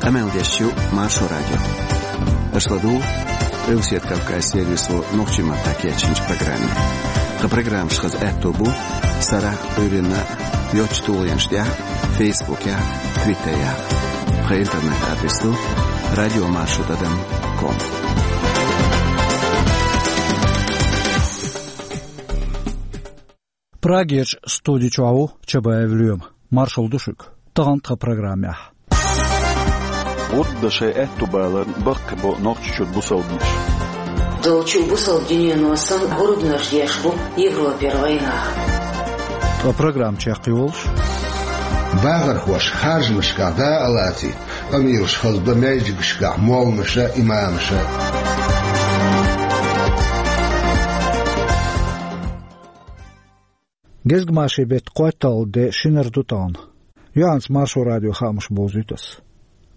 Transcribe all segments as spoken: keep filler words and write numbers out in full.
Къамел деш ю Маршо радио. Аша ладугӀу Къилбаседа Кавказ сервисо нохчийн маттахь кечйинчу программе. Тхан программаш хаза аьтто бу сарахь а, Ӏуьйранна а йоцачу тулгӀенаш тӀехь а, Фейсбукехь а, Твиттерехь а. Тхан интернет-адрес ду радиомаршо тӀадам ком. Прагерчу студи чохь ву Чабаев Лоьма. Маршалла ду шуьга. Тахана тхан программехь. ГӀурба дан шайн аьтто баларна баккхийбо Нохчийчуьра бусалбанаш. Долчу бусалба дуьнено санна, гӀурбанаш деш бу Европера вайнах. Ткъа программа чекхйолуш: бахархоша харжамашкахь дакъа лацийта къамелаш хазадо маьждигашкахь молланаша а, имамаша а. Гезгмашин беттан кхойтталгӀа де шинара ду тахана. Юьхьанца Маршо радион хаамаш бовзуьйту ас.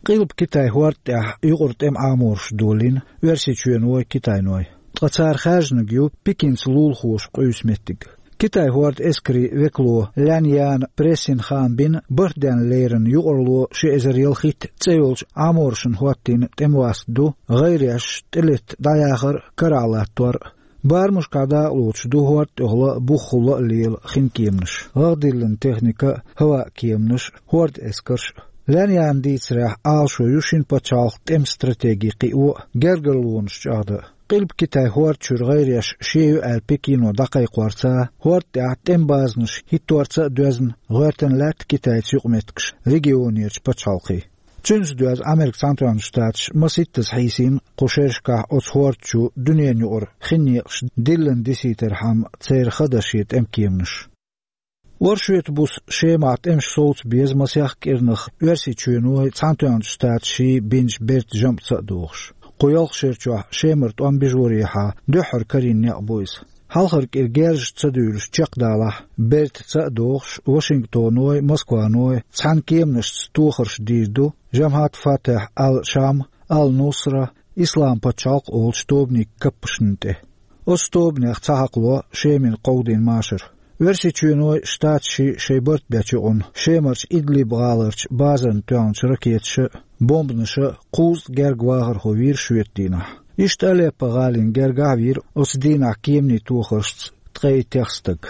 Къилба Китайн хӀорда тӀехь юкъара тӀеман Ӏамораш долийна Оьрсийчоьной, Китайной. Ткъа цара хаьржинарг ю Пекинца лулахоша къуьйсу меттиг. Китайн хӀордан эскарийн векало Лян Яна прессина хаам бина, барт денна леррина юкъаралло ши эзар ялхитта цӀе йолчу Ӏаморашна хӀоттийна тӀеман васт ду, гӀайреш тӀелетта дӀаяхар а, карахь латтор а. Барамашкахь дакъалоцуш ду хӀорда тӀехула а, бухахула а лела хин кеманаш, гӀагӀ диллина техника а, хӀаваан кеманаш а, хӀордан эскарш а. Лян Яна дийцарехь, Ӏалашо ю шина пачхьалкхан тӀеман стратеги кхио а, гергарлонаш чӀагӀдан а. Къилба Китайн хӀорда чуьра гӀайреш шен ю аьлла Пекино дӀакхайкхорца а, хӀорда тӀехь тӀеман базанаш хӀитторца а доьзна, гӀоьртина лаьтта Китайца юкъаметтигаш регионерчу пачхьалкхийн. Цуьнца доьзна Америкин Цхьаьнатоьхначу Штаташа масийттаза хьийсийна кху шерашкахь оцу хӀорда чу дуьненан юкъара хин некъаш диллина дисийтархьама церан ха дан шен тӀеман кеманаш. Оршотан буса Шемахь тӀемаш совца беза масех кӀирнах Оьрсийчоьной, Цхьаьнатоьхначу Штаташший бинчу бертан жамӀаца а догӀуш. Кху ялх шера чохь Шемара тӀом бижорехьа дуьххьара карийна некъ бу иза. Хьалхара кӀира герзаш ца дуьйлуш чекхдалахь, бертаца а догӀуш, Вашингтоной, Москваной цхьана кеманашца тохарш дийр ду Жамхьат Фатехь ал-Шам, ал-Нусра, Ислам пачхьалкх олучу тобанийн каппашна тӀе. Оцу тобанех ца хьакхало Шемина кховдийна машар. Оьрсийчоьной, Штаташший шайн барт бечу юкъана Шемарчу Идлиб гӀаларчу базарна тоьхначу ракеташа а, бомбанаша а кхузткъа гергга вахархо вийра шоьтан дийнахь. Иштта Алеппо гӀалина гергахь а вийра оцу дийнахь кеманийн тохаршца ткъе итт стаг.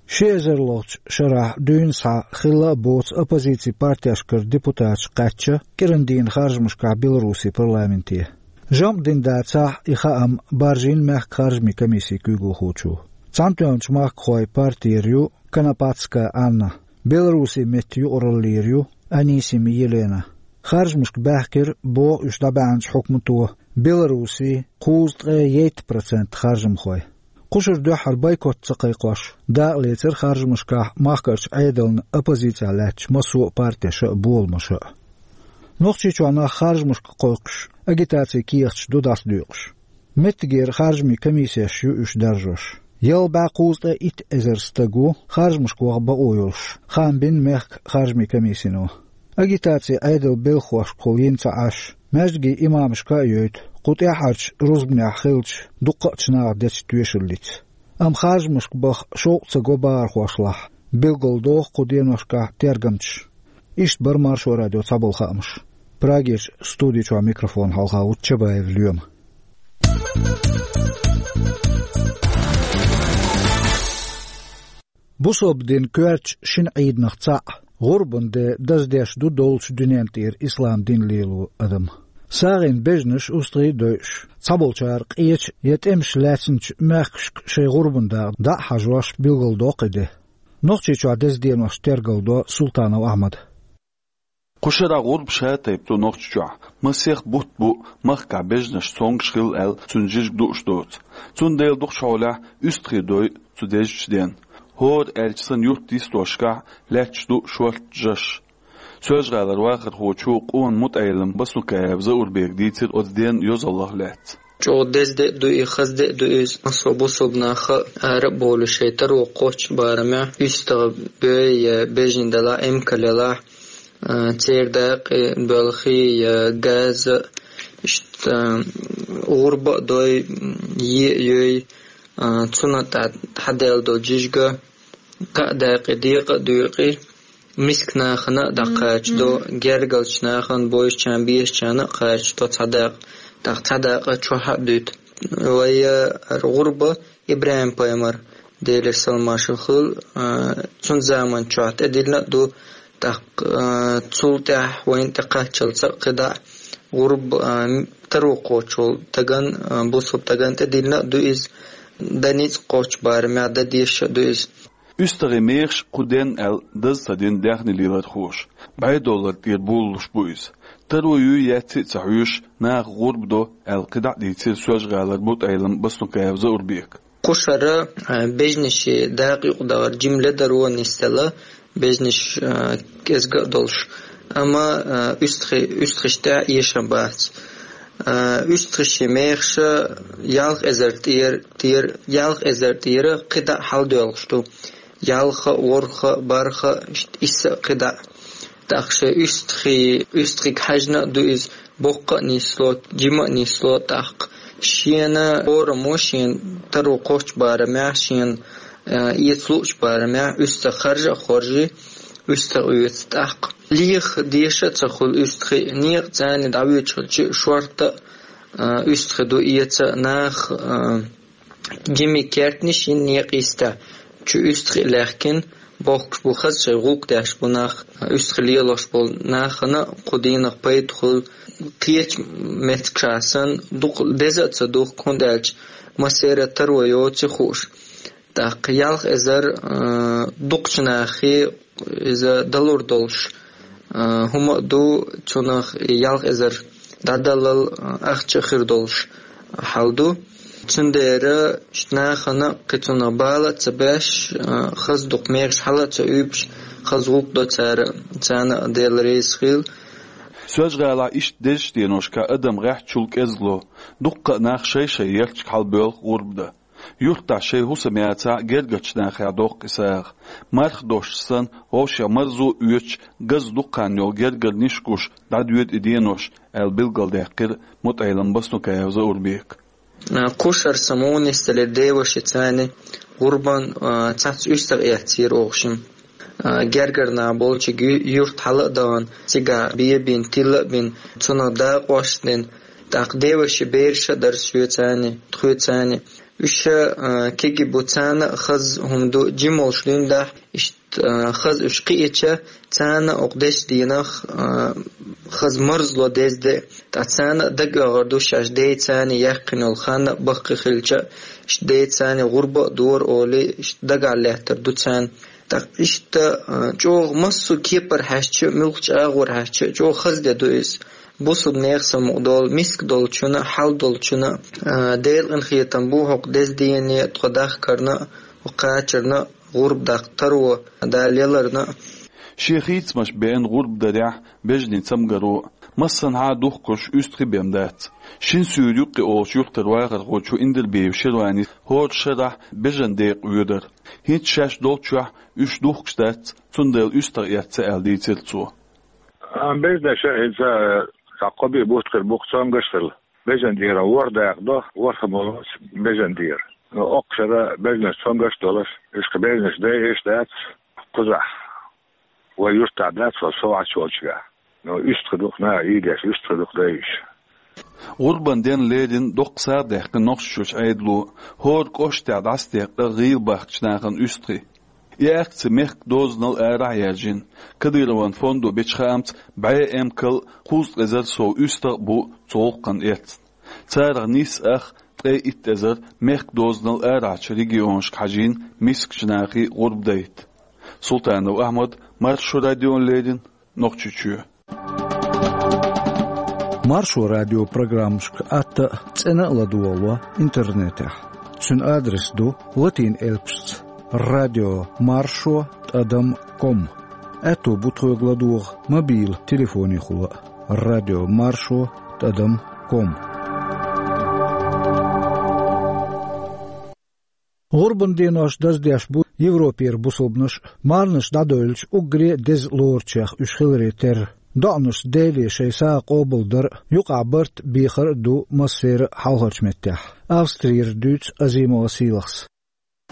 Ши эзарлахчу шарахь дуьйна схьа хилла а боцу оппозицин партешкара депутаташ кхаьчна кӀиран дийнан харжамашкахь Беларусин парламенте. ЖамӀ дина дацахь а, и хаам баржийна мехкан харжамийн комиссин куьйгалхочо. Цхьаьнатоьхначу махкахойн партера ю Конопатская Анна, Беларусин меттан юкъараллера ю Анисим Елена. Харжамашка баьхкира, боху уьш дӀабаьхьначу хьукмато, Беларусин кхузткъе итт процент харжамхой. Кху шарахь дуьххьара бойкот ца кхайкхош, дакъа лецира харжамашкахь махкарчу Ӏедална оппозицехь лаьттачу массо а партеша а, боламаша а. Нохчийчохь нах харжамашка кхойкхуш, агитацин кехаташ ду дӀасадоькъуш. Меттигера харжамийн комиссеш ю уьш даржош. Ялх бӀе кхузткъе итт эзар стаг ву харжамашка ваха бакъо йолуш, хаам бина мехкан харжамийн комиссино. Агитаци Ӏедалан белхахошкахула йина ца Ӏаш, маьждиган имамашка а йойту, кху тӀаьххьарчу рузбанехь хиллачу дуккха а чу наха дечу тоьшаллица. Амма харжамашка баха шовкъ ца го бахархошлахь, билгалдоху кху деношкахь тергамчаша. Иштта бара Маршо радион цхьаболу хаамаш. Прагерчу студи чохь микрофон хьалха ву Чабаев Лоьма. Бусалба динан коьртачу шина Ӏийданах цхьаъ, гӀурбан де даздеш ду доллучу дуьнен тӀера ислам дин лело адам. СагӀина бежанаш, устагӀий а дойуш, цхьаболчара къечу я тӀемаш лаьцначу мехкашка шайн гӀурбан дакъа дӀа а хьажош, билгалдоккху и де. Нохчийчохь деза денош тергалдо Султанов Ахьмада. Кху шарахь гӀурба шатайпа ду Нохчийчохь. Масех бутт бу махкахь бежанаш, цомгуш хилла аьлла, цуьнан жижиг дууш доцу. Цундела дукхачу хьолехь уьстагӀий дой цу дезачу денна. ХӀора аьлча санна юьртан йистошкахь лаьтташ ду шортта жаш. Соьлжа-ГӀалара вахархочо Къона МутаӀеллам Басукаева Заурбега дийцира оцу денан йозаллех лаьцна. ЧӀогӀа деза де а ду и, хаза де а ду иза. Массо а бусалба нах ара а бовлуш, шайн таро кхоччу барамехь, уьстагӀа бой я бежана делахь, эмкал елахь, а, церан дакъа боьлхий я газа, иштта, а, гӀурба а дой, е а йой, а, цунна тӀехь хьадаьлла долу жижиг, кхаа дакъе декъа а дуьйкъий. Миска нахана а дӀакхача до, гергарча нахана, бовзачарна, бешачарна а кхача до цхьа дакъа, тӀаккха цхьа дакъа чохь а дуьту. Вай, э, гӀурба ИбрахӀим-пайхамар, Делера салам-маршалла хуьлда, э, цуьнан заман чохь тӀедиллина а ду, тӀаккха, э, цул тӀаьхьа вайна тӀекхаччалца а кхидӀа а гӀурба, э, таро кхочуш волу стагана, э, бусалба стагана тӀедиллина а ду иза, дан ницкъ кхоччу барамехь, дан дезаш а ду иза. УьстагӀийн мехаш кху денна аьлла даза ца дина даьхни лелорхоша. БӀе доллар тӀера болалуш бу иза. Таро юй, яций а ца хьоьжуш, наха гӀурба до аьлла кхидӀа а дийцира Соьлжа-ГӀалара мутаӀеллам Баснукаев Заурбека. Кху шарахь, а, бежанашна дакъа юкъадахар жимма ледар а нисделла, бежанаш, а, кӀезиг а долуш. Амма, а, уьстагӀий, уьстагӀашна тӀехь а эшам бац. А, уьстагӀийн мехаш ялх эзар тӀера, тӀера, ялх эзар тӀера кхидӀа а хьаладоьлхуш ду. Ялх а, ворхӀ а, бархӀ а, ишта исс а кхидӀа а. ТӀаккха шайн уьстагӀий, уьстагӀига хьаьжна а ду иза, боккха а нисло, жима а нисло, тӀаккха шена хӀораммо, шена таро кхоччу барамехь, шена, а, эца луучу барамехь, уьстагӀ харжа а хоржий, уьстагӀ оьцу тӀаккха. Леха дезаш а ца хуьлу уьстагӀий, некъаца дӀавоьдуш хилча, шортта а, а, уьстагӀий ду эца нах, а, жимма кертанаш йина некъа йистехь, чу уьстагӀий а лаьхкина, бохкуш бу, хаза шайн гӀуллакх деш бу нах, уьстагӀий лелош болу нахана а кху дийнах пайда хуьлу, кхечу меттигашкахь санна, дукха деза а ца духку, хӀунда аьлча массеран таро йоций хууш. ТӀаккха ялх эзар, а, дукхачу нахе иза далур долуш, а, хӀума а ду, цунах ялх эзар дӀадаллал, а, ахча а хир долуш хьал ду. Цундела иштта нахана кхин цунах бала а ца беш, а, хаза дукха мехаш хьала а ца уьйбуш, хаза гӀуллакх до цара, царна а Дела реза хуьлда. Соьлжа-ГӀалахь иштта дезачу деношкахь адам гӀеххьачул кӀезиг ло, дуккха а нах шай-шай ярташка хьалабоьлху гӀурба дан. Юьртахь шайн хӀусам яцахь а, гергарчу нахехь доккху и сагӀа. Марха дошуш санна, вовшех марзо а оьцуш, газа дукха хан йолу гергарниш гуш дӀадоьду и денош, аьлла билгалдаьккхира мутаӀеллам Баснукаев Заурбека. А, кху шарахь сан муха нисделира девашица цхьаьна гӀурбан, а, цхьацца уьстагӀ эццера оха шимма. А, гергара нах болчу ю-, юьрта хьала а дахана, цигахь бен а бина, тилла а бина, цунах дакъош а дина, тӀаккха девашин бераш а дара шен цхьаьна, тхоьца цхьаьна. Уьш, а, кегий бу, царна а хаза хӀума ду, жима волуш дуьйна дахь, иштта, а, хаза уьш кхиъча, царна а окху дезачу дийнах, а, хаза марзло деза де. Ткъа царна а дагайогӀур ду шаьш ден цхьаьна яьккхина йолу хан а баккхий хилча, иштта ден цхьаьна гӀурба а дора олий, иштта дагахь лаьттар ду царна. ТӀаккха иштта, а, чӀогӀа массо а кепара хьаьжча а, муьлххачу агӀор хьаьжча а, чӀогӀа хаза де ду иза. Бусалба нехан самукъадолу, миска долчунна а, хьал долчунна а, а, Делан къинхетам бу хӀокху деза дене тхо дахкарна а, хӀокху кхачарна а, гӀурба даккха таро Дала леларна а. Шен хийцамаш беана гӀурба дарехь бежанийн цамгаро а, массанхьа а духкуш уьстагӀий бен дац. Шина суьйра юккъе олучу юьртара вахархочо Индирбиев Ширванис хӀора шарахь бежан декъа воьдура. ХӀинца шаьш долччохь уьш духкуш дац, цундела уьстагӀ эцна аьлла дийцира цо. А, бежанаш а хӀинца, э, цхьа кхо-биъ бутт хир бу-кх, цомгаш а хилла. Бежан дера ворхӀ дакъа до, ворхӀ а болуш бежан дера. Но оккха шарахь бежанаш цомгаш а долуш, уьш кху бежанаш дайъеш дац кхузахь. Вай юьртахь дац, вай совгӀаташ йолчуьра. Но уьстагӀий ду-кх наха ийдеш, уьстагӀий ду-кх дайъеш. ГӀурбан денна лерина доккха сагӀа даьккхина Нохчийчуьрчу Ӏедало, хӀора кӀоштахь дӀасадекъна гӀийла бахкачу нахана уьстагӀий. И акци мехкан дозанал арахь а яьржина. Кадыровн фондо бечу хаамца, бӀе эмкал а, кхузткъа эзар сов уьстагӀ а бу цу гӀуллакхна эцна. Царах нийсса ах, ткъе итт эзар мехкан дозанал арахьарчу регионашка хьажийна мискачу нахе гӀурба дайта. Султанов Ахьмад, Маршо радиона леррина, Нохчийчоь. Маршо радион программашка атта а, цӀена а ладогӀало интернетехь. Цуьнан адрес ду латин элпашца: радио маршо тӀадам ком. Аьтто бу тхоьга ладогӀа мобил телефонехула а: радио маршо тӀадам ком. ГӀурбан денош даздеш бу Европера бусалбанаш а, марханаш дӀадевлча уггаре а деза лоручех уьш хиларе терра. ДоӀанашца Деле шайн сагӀа къобалдар а, юкъахь барт а, бехар а ду массеран а хьалхарчу меттехь. Австрера дуьйцу Азимова Сийлахьс.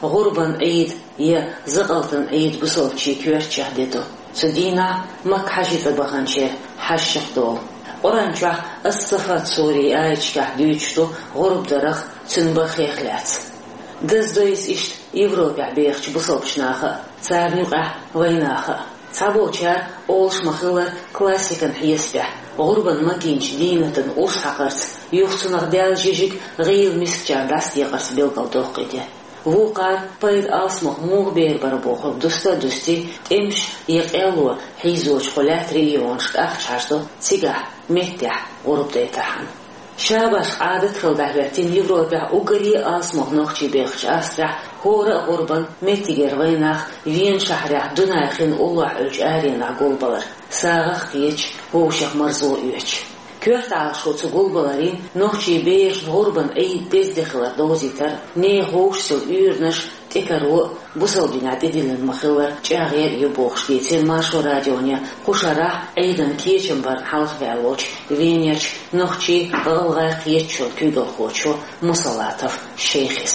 ГӀурбан Ӏийд я Закъалтан Ӏийд бусалбачийн коьртачохь де ду. Цу дийнахь Макка хьажцӀа баханчеран хьаштех долу. Къуръан чохь Ас-Саффат сурин аяташкахь дуьйцуш ду гӀурба дарах, цуьнан бахех лаьцна. Даздо иза иштта Европехь бехачу бусалбачу наха а, царна юкъахь вайнаха а. Цхьаболчара, олуш ма-хиллара, классикан хьесапехь, гӀурбан магийначу дийнатан урс хьакхарца, юха цунах даьлла жижиг гӀийла мискачарна дӀасадекъарца билгалдоккху и де. Вукхара пайда алсамох муха бер бара бохург дуста а дустий, тӀемаш я къелло хьийзочу кху лаьттан регионашка ахча хьаждо цигахь, меттехь гӀурба дайтархьама. Ша башха Ӏадат хилла дӀахӀоьттина Европехь уггаре а алсамох нохчий бехачу Австрехь хӀора а гӀурбан, меттигера вайнах Вена шахьарехь Дунай хин уллохь Ӏуьллучу аренахь гулбалар, сагӀах кхеташ, вовшех марзо оьцуш. Коьрта Ӏалашо цу гулбаларийн нохчий берашна гӀурбан Ӏийд деза де хилар довзийтар, нехан вовшашца уьйранаш, тӀекаро а, бусалба динехь тӀедиллина ма-хиллара чӀагӀъяр а ю бохуш дийцира Маршо радионе кху шарахь Ӏийдан кечам барна хьалхаваьлла волчу Венерчу нохчийн, гӀалгӀайн кхеташонан куьйгалхочо Мусалатов Шайхис.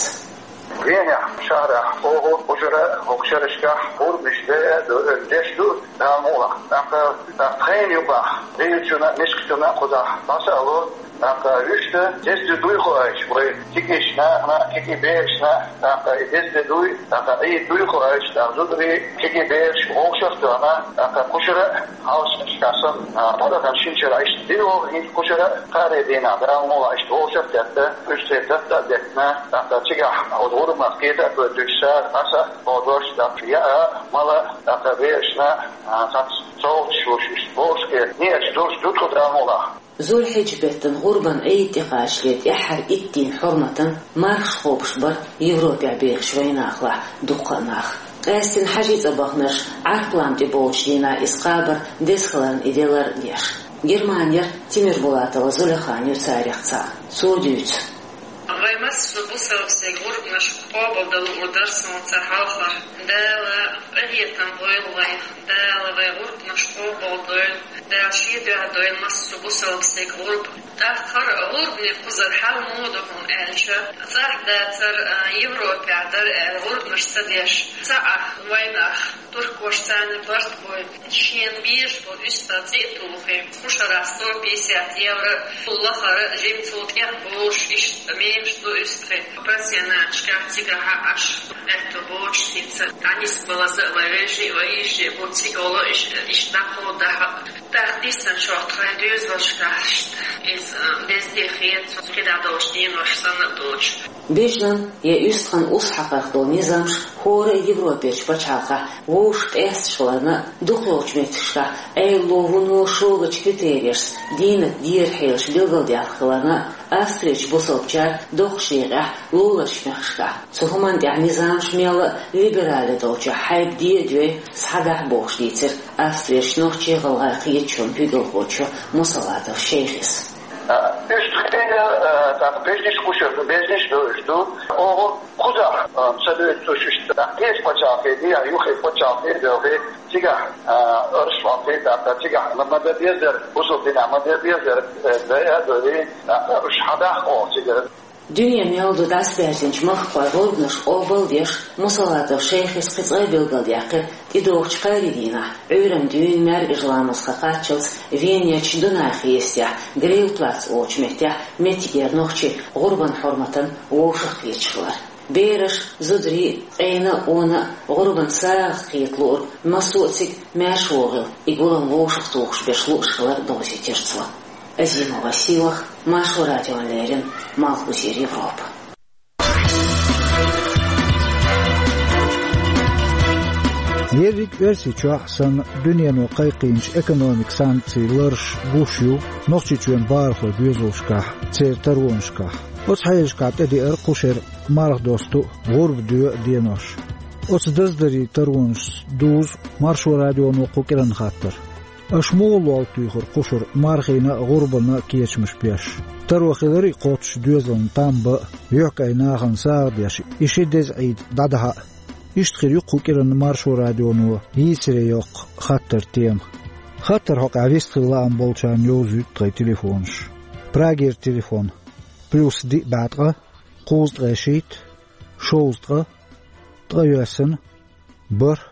Венехь шахьарахь оха кху шарахь, хӀокху шерашкахь гӀурбанаш де а ду, деш ду, Дала мукъалахь. ТӀаккха, тӀаккха тхайна юкъахь, Ӏуьйранна, мискачунна кхузахь дӀаса а ло, тӀаккха уьш дан деза де дуй хоуьйтуш, вай кегийчу нахана, кегий берашна, тӀаккха и деза де дуй, тӀаккха Ӏийд дуй хоуьйтуш, тӀаккха зударий, кегий бераш вовшах а тоьхна, тӀаккха кху шарахь хьалхарчу шерашкахь санна, а, паргӀатан шина шарахь иштта дина вогӀу, хӀинца кху шарахь кхаарин дийнахь Дала мукъалахь иштта вовшах а тетта, уьш церан тӀе а деттина, тӀаккха цигахь оцу гӀурбанах кхета а тоьттуш, сагӀа, дӀаса а, кхо дош, тӀаккха яа, мала, тӀаккха берашна, а, цхьацца совгӀаташ луш, иштта бохуш кхета, неӀарш долуш ду тхо Дала мукъалахь. Зулхьиджа-беттан гӀурбан Ӏийд тӀекхачале тӀаьххьара итт дийнан хьурматан мархаш кхобуш бара Европехь бехачу вайнахалахь дуккха а нах. Къаьсттина хьажцӀа баханарш Ӏарфа лам тӀе болчу дийнахь иза кхабар деза хиларна и де лар а деш. Германера Тимирбулатова Зулейхан ю царах цхьаъ. Цо дуьйцу. Вай массо а бусалба стеган гӀурбанаш къобалдала луур дара суна цхьа хьалхара. Дала къинхетам бойла вайх, Дала вай гӀурбанаш къобалдойла, Дала шен дуьхьа дойла массо а бусалба стеган гӀурба. ТӀаккха хӀара гӀурбанийн кхузара хьал муха ду хьуна аьлча, цӀахь дацара, а, Европехь дара аьлла гӀурбанаш ца деш, цхьа а вайнах, туркоша царна барт бой. Шена безаш болу уьстагӀ цӀе а тухий, кху шарахь сто пятьдесят евро, лахара жимма цул тӀех болуш, иштта мехаш ду уьстагӀий. Пансионаташкахь цигахь Ӏаш, аьтто боцуш хӀинца, дӀанисбалаза а вай вежарий а, вай йижарий а бу, цига волу иш-, иштта дӀакховдахь а. ТӀаккха дисначохь тхайн доьзалшкахь иштта иза, а, деза де хета, кхидӀа долчу денош санна а доцуш. Бежанан я уьстагӀан урс хьакхарх долу низамаш хӀора а Европерчу пачхьалкхехь вовшах къаьсташ хиларна а, дукхахйолчу меттигашкахь Ӏедало вуно шогачу критерешца дийнат дера хьелаш билгалдаьлла хиларна а, Австрерчу бусалбачара доккхачу декъехь луларчу мехкашкахь цу хӀуманна тӀехь низамаш мелла а либерале долчохь хьайба де а доьй, схьадахь бохуш дийцира Австрерчу нохчийн, гӀалгӀайн кхеташонан куьйгалхочо Мусалатов Шайхис. А, уьш тхайна, а, тӀаккха бежнаш кхушар ду, бежнаш ду уьш ду. Оха кхузахь, а, ца дуьйцуш иштта, тӀаккха кхечу пачхьалкхе, дехьа юххе пачхьалкхе а доьлхе, цигахь, а, арш хьокхе, тӀаккха цигахь ма, ма дан безара, бусалба динехь ма дан безара, э, дай а дойий, тӀаккха уьш хьадахь оха цигара. Дуьне мел ду дӀасабаьрзинчу махкахой гӀурбанаш къобал а деш, Мусалатов Шайхис кхин цкъа а билгалдаьккхира, тӀедогӀучу кхаарин дийнахь, Ӏуьйранна дуьйна маьркӀажа ламаза хан кхаччалц Венерчу Дунай хестехь, Грильплац олучу меттехь, меттигера нохчий гӀурбан хьурматан вовшах кхеташ хилар. Бераш, зударий, къена а, къона а гӀурбан сагӀах кхета луург массо а цига маьрша вогӀийла, и гулам вовшахтухуш берш лууш хилар довзийтира цо. Азимова Сийлаха, Маршо радиона леррина, Малхбузера Европа. Ерриг Оьрсийчохь санна дуьнено кхайкхийначу экономикан санкцийн ларш гуш ю Нохчийчоьнан бахархойн доьзалшкахь, церан таронашкахь. Оцу хьелашкахь тӀедеара кху шеран марха досту а, гӀурба доьу а денош. Оцу даздарийн таронашца дузу Маршо радионо кху кӀиранан хаттар. Аша муха лол туьйхира кху шарахь мархина а, гӀурбана а кечамаш беш? Таро хиларий кхоччуш доьзална там бан а, юьхькӀайн нахана сагӀа деш, и ши деза Ӏийд дӀадахьа а? Иштта хир ю кху кӀиранан Маршо радионо йийцаре йоккху хаттаран тема. Хаттар хьокъехь вистхила лаам болчарна йовзуьйту тхайн телефонаш. Прагера телефон: плюс диъ бӀе ткъа, кхузткъе шийтта, шовзткъа, ткъайоьсна, бархӀ,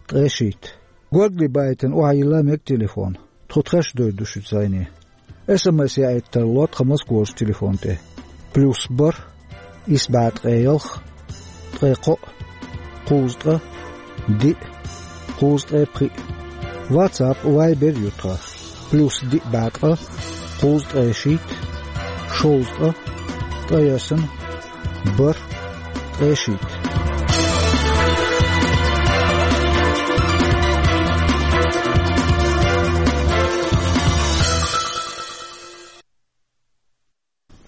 ткъе шийтта. Горгали байтина охьайилла мега телефон. Тхо тхаьш а дойр ду шуьца зӀене. СМС яийта тарло тхан Москварчу телефон тӀе. Плюс бархӀ, исс бӀе ткъе ялх, ткъе кхоъ, кхузткъа, диъ, кхузткъе пхиъ. WhatsApp, Viber ю тхан. Плюс диъ бӀе ткъа, кхузткъе шийтта, шовзткъа, ткъе ялх, бархӀ, ткъе шийтта.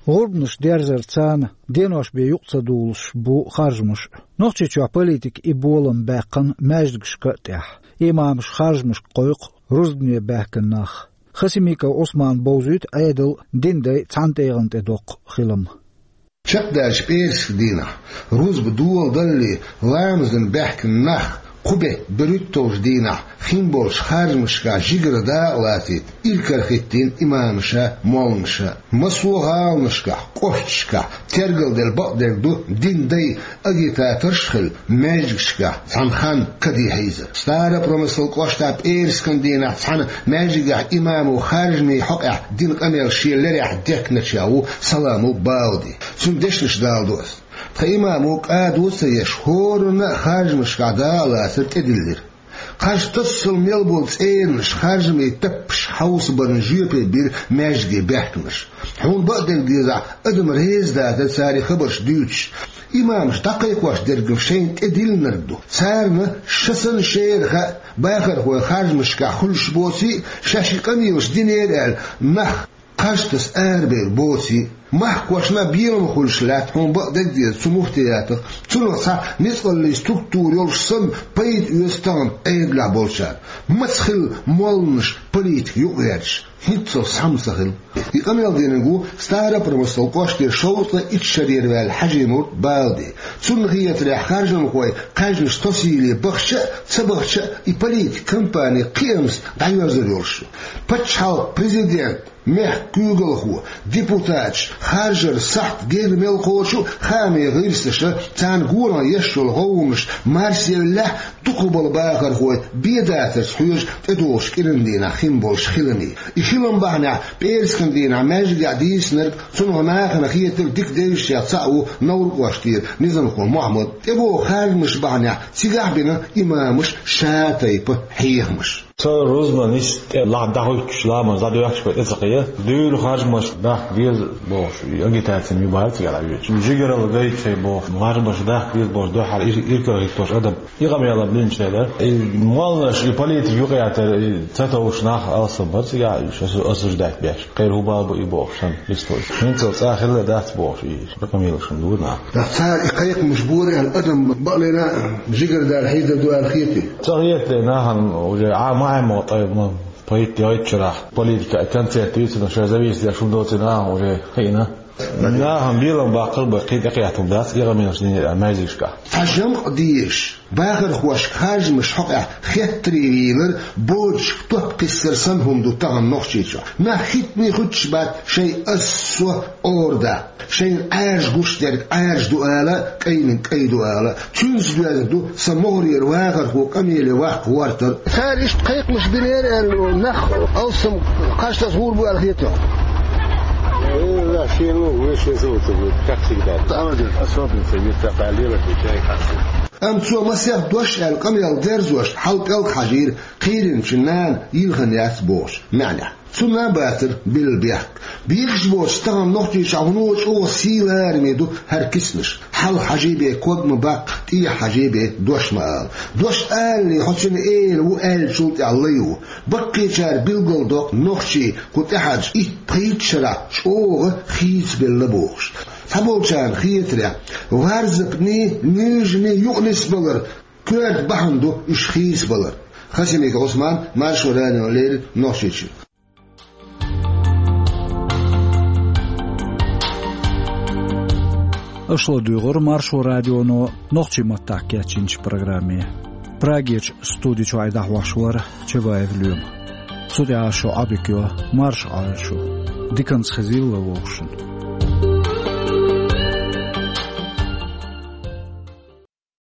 ГӀурбанаш дерзар царна денош бен юкъа ца дуллуш бу харжамаш. Нохчийчохь политика и болам баьккхина маьждигашка а тӀехь. Имамаш харжамашка кхойкху рузбане баьхкина нах. Хасимиков Ӏусмана бовзуьйту Ӏедал, дин дай цхьана тӀегӀан тӀе доккху хилам. Чекхдаьллачу пӀераскан дийнахь, рузба доладаллалц ламазана баьхкина нах, кху беттан берхӀитталгӀачу дийнахь хин болчу харжамашкахь жигара дакъа лацийта иракарахӀиттийна имамаша, молланаша. Массо а гӀаланашкахь, кӀошташкахь тергалделла бакъдерг ду дин дай агитаторш а хилла, маьждигашкахь цхьана ханна каде хьийзар. Старопромыслан кӀоштахь пӀераскан дийнахь цхьана маьждигехь имамо харжамийн хьокъехь дина къамел шен лерехь дехкиначех ву Саламов Бауди. Цуьнан дешнаш даладо ас. Тхан имамо кӀадо а ца еш, хӀоранна а харжамашкахь дакъа лацар тӀедиллира. Кхаж тасалла мел болу цӀеранаш харжамийн таппаш хьовсабарна жоьпе бира маьждиге баьхкинарш. Хьуна бакъдерг дезахь, адам реза дацара цара и хабарш дуьйцуш. Имамаш дӀакхайкхош дерг шайна тӀедиллинарг ду. Царна ша санна шера хаьа, бахархой харжамашкахь хуьлуш боций а, шаьш и къамелаш динера аьлла, нах кхаж таса арабевр боций а. Махкошна а белам хуьлуш лаьтта, хьуна бакъдерг деза, цу муфтиятах. Цунах цхьа ницкъаллин структура йолуш санна, пайда оьцу тахана Ӏедалехь болчарна. Маца хилла молланаш политика юкъагӀерташ? ХӀинццалц цхьамма ца хилла. И къамел динарг ву Старопромыслан кӀоштера шовзткъе итт шарера ваьлла Хьажимурт Балди. Цунна хетарехь, харжамхой кхаьжнаш тосийла бахча а, ца бахча а, и политик кампани кхиамца дӀайоьрзур йолуш ю. Пачхьалкхан президент, мехкан куьйгалхо, депутаташ, харжаран сахьт герга мел кхочу а, хаамийн гӀирсаша, царна гонах еш йолу гӀовгӀанаш марсаевллехь, дукхахболу бахархой бен дацарца хьоьжу тӀедогӀучу кӀиран дийнахь хин болчу хиламийн. И хилам бахьанехь пӀераскан дийнахь маьждигехь дийцинарг, цунах нахана хетарг дика девзачех цхьаъ ву Невран кӀоштера низамхо Мохьмад. ТӀебогӀу харжамаш бахьанехь цигахь а бина имамаша ша тайпа хьехамаш. Со рузбан нисса тӀе лахьа дӀахӀуьттуш, ламаз дӀадоьхкуш бен тӀе ца кхиа. Дуьйна харжамаш дахка деза бохуш, и агитаци ма бац цигахь дӀавоьдуш. Жигаралла гайта шайн бохуш, харжамаш дахка деза бохуш, дуьххьара ир-, иракарахӀиттош адам. И къамел а бинчу дела, и молланаш, и политика юкъаятар, и ца товш нах алсам бара цигахь, уьш осу-, осуждать беш. Кхеран хӀун бала бу и бохуш санна, бистхуьлуш. ХӀинццалц цкъа хилла дац бохуш, и къамелаш ма ду нах. Ткъа цара и кхайкхамаш бора аьлла, адам бакъ лерина жигара дара хьийзар ду аьлла хетий? Ца хетий, нахана уже Ӏа ма Ӏа ма ткъа ма пайда йойтучарахь, политика концерт дуьйцурна, шайн зависимость хӀума доций нахана уже хиъна. Нахана белам баккхар бен кхин тӀекхетталла дац, и къамелаш динера маьждигашкахь. Цхьа жамӀ дезаш, бахархошка харжамаш хьокъехь хеттаре вийлар, боцчух топ кхиссар санна хӀума ду тахана Нохчийчохь. Нах хӀиттане хуьттуш бац шайн ас-со Ӏора даккха. Шайна Ӏаьржа гуш дерг Ӏаьржа ду ала, кӀайниг кӀай ду ала. Цуьнца доьзна ду сан могӀарера вахархо къамеле ваккха гӀортар. Цара иштта кхайкхамаш бинера аьлла, нах алсам кхаж таса гӀур бу аьлла хетий хьуна? Э, да, шен ву, вешан зовут будет, как всегда. Особенно, если так, а лево отвечай, как всегда. Амма цо масех дош аьлла къамел дерзош хьал пӀелг хьажийра, кхийринчу нана йилхина яц бохуш маьӀнехь. Цунна а бацара билла бехк. Бехаш боцуш тахана Нохчийчохь хӀуно чӀогӀа сий лараме ду хӀара киснаш. Хьал хьажий бен ког ма баккха, тӀехьа хьажий бен дош ма ала. Дош алале, хьо цуьнан эла ву аьллачул тӀаьхьа лай ву. Баккхийчара билгалдоккху нохчий кху тӀаьхьарчу итт-пхийтта шарахь чӀогӀа хийцабелла бохуш. Цхьаболчарна хетарехь, варзапний, нуьйжаний юкъа нисбалар коьрта бахьана ду уьш хийцабалар. Хасимиков Ӏусман, Маршо радиона леррина, Нохчийчуьра. Аша ладуьйгӀира Маршо радионо нохчийн маттахь кечйинчу программе. Прагерчу студи чохь и дӀахьош вара Чабаев Лоьма. Цу тӀехь шу Ӏодика йо, марша Ӏойла шу. Диканца хезийла вовшашна.